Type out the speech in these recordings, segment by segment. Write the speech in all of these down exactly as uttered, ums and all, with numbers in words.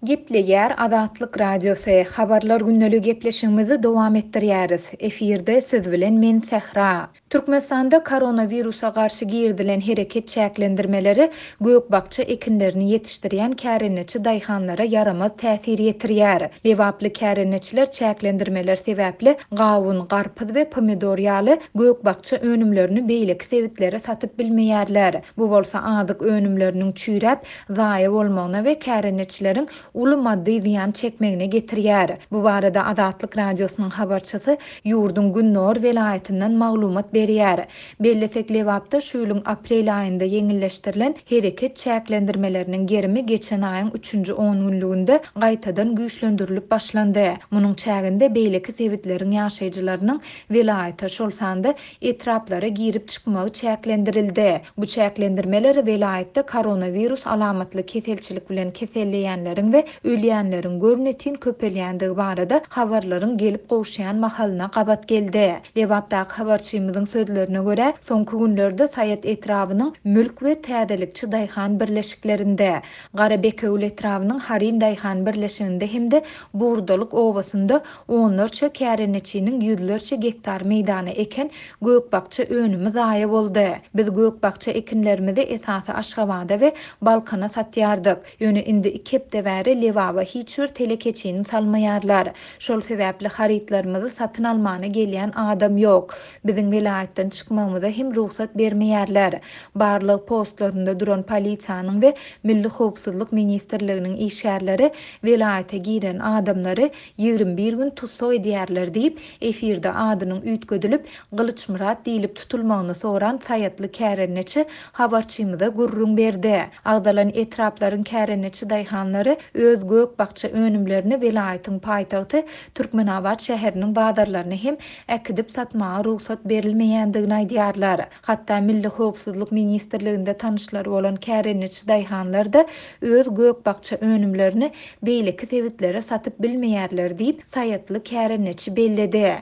Gepleýär Azatlyk Radiosy, Habarlar gündeligi gepleşigimizi dowam etdirýäris. Efirde siz bilen men Sähra. Türkmenistanda koronawirusa garşy girizilen hereket çäklendirmeleri gök-bakja ekinlerini ýetişdirýän kärendeçi daýhanlara ýaramaz täsir ýetirýär. Lebaply kärendeçiler çäklendirmeler sebäpli gawun, garpyz we pomidor ýaly gök-bakja önümlerini beýleki sebitlere satyp bilmeýärler. Bu bolsa azyk önümleriniň çüýräp, zaýa bolmagyna we kärendeçileriň uly maddy zyýan çekmegine getirýär. Bu barada Azatlyk Radiosynyň habarçysy ýurduň Gündogar welaýatyndan maglumat berýär. Bellesek, Lebapda şu ýylyň aprel aýynda ýeňilleşdirilen hereket çäklendirmeleriniň gerimi geçen aýyň üçünji on günlüginde gaýtadan güýçlendirilip başlandy. Munuň çäginde beýleki sebitleriň ýaşaýjylarynyň welaýata, şol sanda etraplara girip çykmagy çäklendirildi. Bu çäklendirmeler welaýatda koronawirus alamatly keselçilik bilen keselleýänleriň we ölýänleriň görnetin köpelýändigi barada habarlaryň gelip gowşaýan mahalyna gabat geldi. Lebapdaky habarçymyzyň sözlerine görä, soňky günlerde Saýat etrabynyň Mülk we Täzelikçi daýhan birleşiklerinde, Garabekewül etrabynyň Harin daýhan birleşiginde hem-de Burdalyk obasynda onlarça kärendeçiniň ýüzlerçe gektar meýdany eken gök-bakja önümi zaýa boldy. Biz gök-bakja ekinlerimizi esasy Aşgabada we Balkana satýardyk. Ýöne indi iki hepde bäri Lebaba hiç bir telekeçini salmaýarlar. Şol sebäpli harytlarymyzy satyn almana gelýän adam ýok. Biziň welaýatdan çykmagymyza hem rugsat bermeýärler. Barlyk postlarynda duran polisiýanyň we Milli Howpsuzlyk Ministrliginiň işgärleri welaýata giren adamlary ýigrimi bir gün tussag edýärler diýip, efirde adynyň üýtgedilip Gylyçmyrat diýilip tutulmagyny soran Saýatly kärendeçi habarçymyza gürrüň berdi. Agdalan etraplaryň kärendeçi daýhanlary öz gök-bakja önümlerini welaýatyň paýtagty Türkmenabat şäheriniň bazarlaryny hem äkidip satmaga rugsat berilmeýändigini aýdýarlar. Hatda Milli Howpsuzlyk Ministrliginde tanyşlary bolan kärendeçi daýhanlar da öz gök-bakja önümlerini beýleki sebitlere satyp bilmeýärler diýip, Saýatly kärendeçi belledi.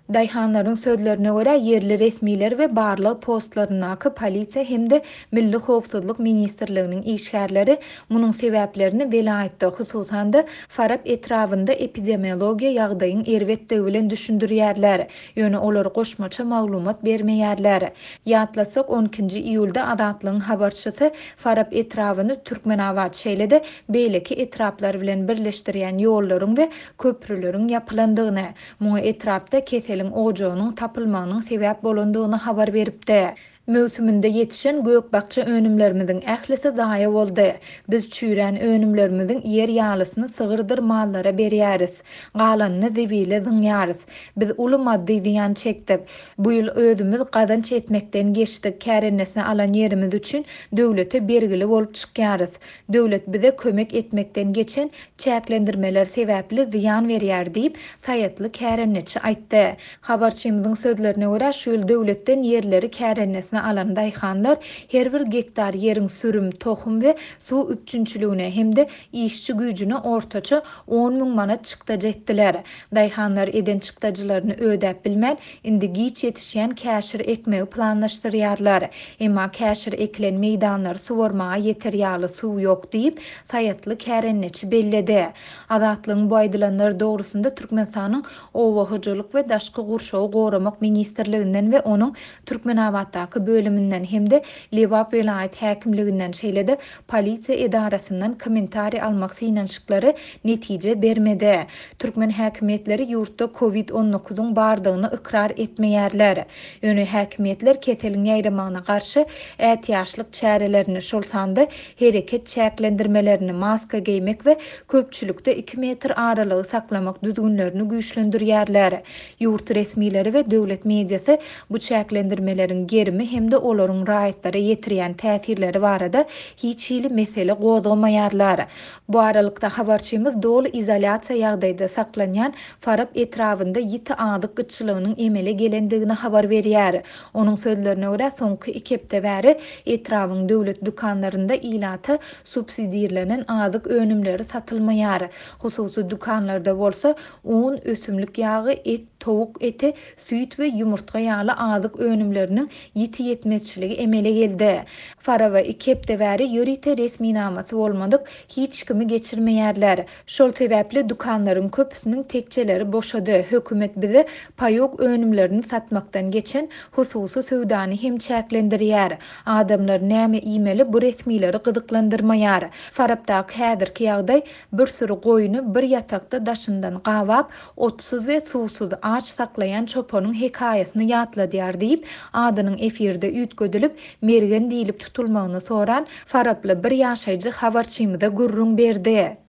Daýhanlaryň sözlerine görä, ýerli resmiler we barlyk postlaryndaky polisiýa hem-de Milli Howpsuzlyk Ministrliginiň işgärleri munuň sebäplerini welaýatda, hususan-da Farap etrabynda epidemiologiýa ýagdaýyň erbetdigi bilen düşündirýärler. Ýöne olar goşmaça maglumat bermeýärler. Ýatlasak, on ikinji iýulda Azatlygyň habarçysy Farap etrabyny Türkmenabat, şeýle-de beýleki etraplar bilen birleşdirýän ýollaryň we köprüleriň ýapylandygyny, muňa etrapda keseliň ojagynyň tapylmagynyň sebäp bolandygyny habar beripdi. Möwsüminde ýetişen gök-bakja önümlerimiziň ählisi zaýa boldy. Biz çüýrän önümlerimiziň ýer ýalysyny sygyrdyr mallara berýäris. Galanyny zibile zyňýarys. Biz uly maddy zyýan çekdik. Bu ýyl özümiz gazanç etmekden geçdik. Kärennesini alan ýerimiz üçin döwlete bergili bolup çykýarys. Döwlet bize kömek etmekden geçen çäklendirmeler sebäpli zyýan berýär diýip, Saýatly kärendeçi aýtdy. Habarçymyzyň sözlerine görä, şu ýyl döwletden ýerleri kärennesine alan daýhanlar her bir gektar ýeriň sürüm, tohum we suw üpjünçiligine hem-de işçi güýjüne ortaça on müň manat çykdajy etdiler. Daýhanlar eden çykdajylaryny ödäp bilmän, indi giç ýetişýän käşir ekmegi planlaşdyrýarlar. Emma käşir ekilen meýdanlary suwarmaga ýeter ýaly suw ýok diýip, Saýatly kärendeçi belledi. Azatlygyň bu aýdylanlar dogrusynda Türkmenistanyň Oba hojalyk we Daşky gurşawy goramak ministrliginden we onuň Türkmenabatdaky bölüminden hem-de Lebap welaýat häkimliginden, şeýle-de polisiýa edarasyndan kommentariý almak synanyşyklary netije bermedi. Türkmen häkimiýetleri ýurtda kovid on dokuzyň bardygyny ykrar etmeýärler. Ýöne häkimiýetler keseliň ýaýramagyna garşy ätiýaçlyk çärelerini, şol sanda hereket çäklendirmelerini, maska geýmek we köpçülikde iki metr aralygy saklamak düzgünlerini güýçlendirýärler. Ýurt resmileri we döwlet mediasy bu çäklendirmeleriň gerimi hem-de olaryň raýatlara ýetirýän täsirleri barada hiç hili mesele gozgamaýarlar. Bu aralykda habarçymyz doly izolýasiýa ýagdaýda saklanýan Farap etrabynda ýiti azyk gytçylygynyň emele gelendigini habar berýär. Onuň sözlerine görä, soňky iki hepde bäri etrabyň döwlet dükanlarynda ilata subsidirlenen azyk önümleri satylmaýar. Hususy dükanlarda bolsa un, ösümlik ýagy, et, towuk eti, süýt we ýumurtga ýaly azyk önümleriniň ýiti ýetmezçiligi emele geldi. Faraba iki hepde bäri ýörite resminamasy bolmadyk hiç kimi geçirmeýärler. Şol sebäpli dükanlaryň köpüsiniň tekjeleri boşady. Hökümet bize paýok önümlerini satmakdan geçen hususy söwdany hem çäklendirýär. Adamlar näme iýmeli, bu resmileri gyzyklandyrmaýar. Farapdaky häzirki ýagdaý bir süri goýuny bir ýatakda daşyndan gabap, otsuz we suwsuz aç saklaýan çopanyň hekaýasyny ýatladýar diýip, adynyň efirde üýtgedilip, Mergen diýlip tutulmagyny soran faraply bir ýaşaýjy habarçymyza gürrüň berdi.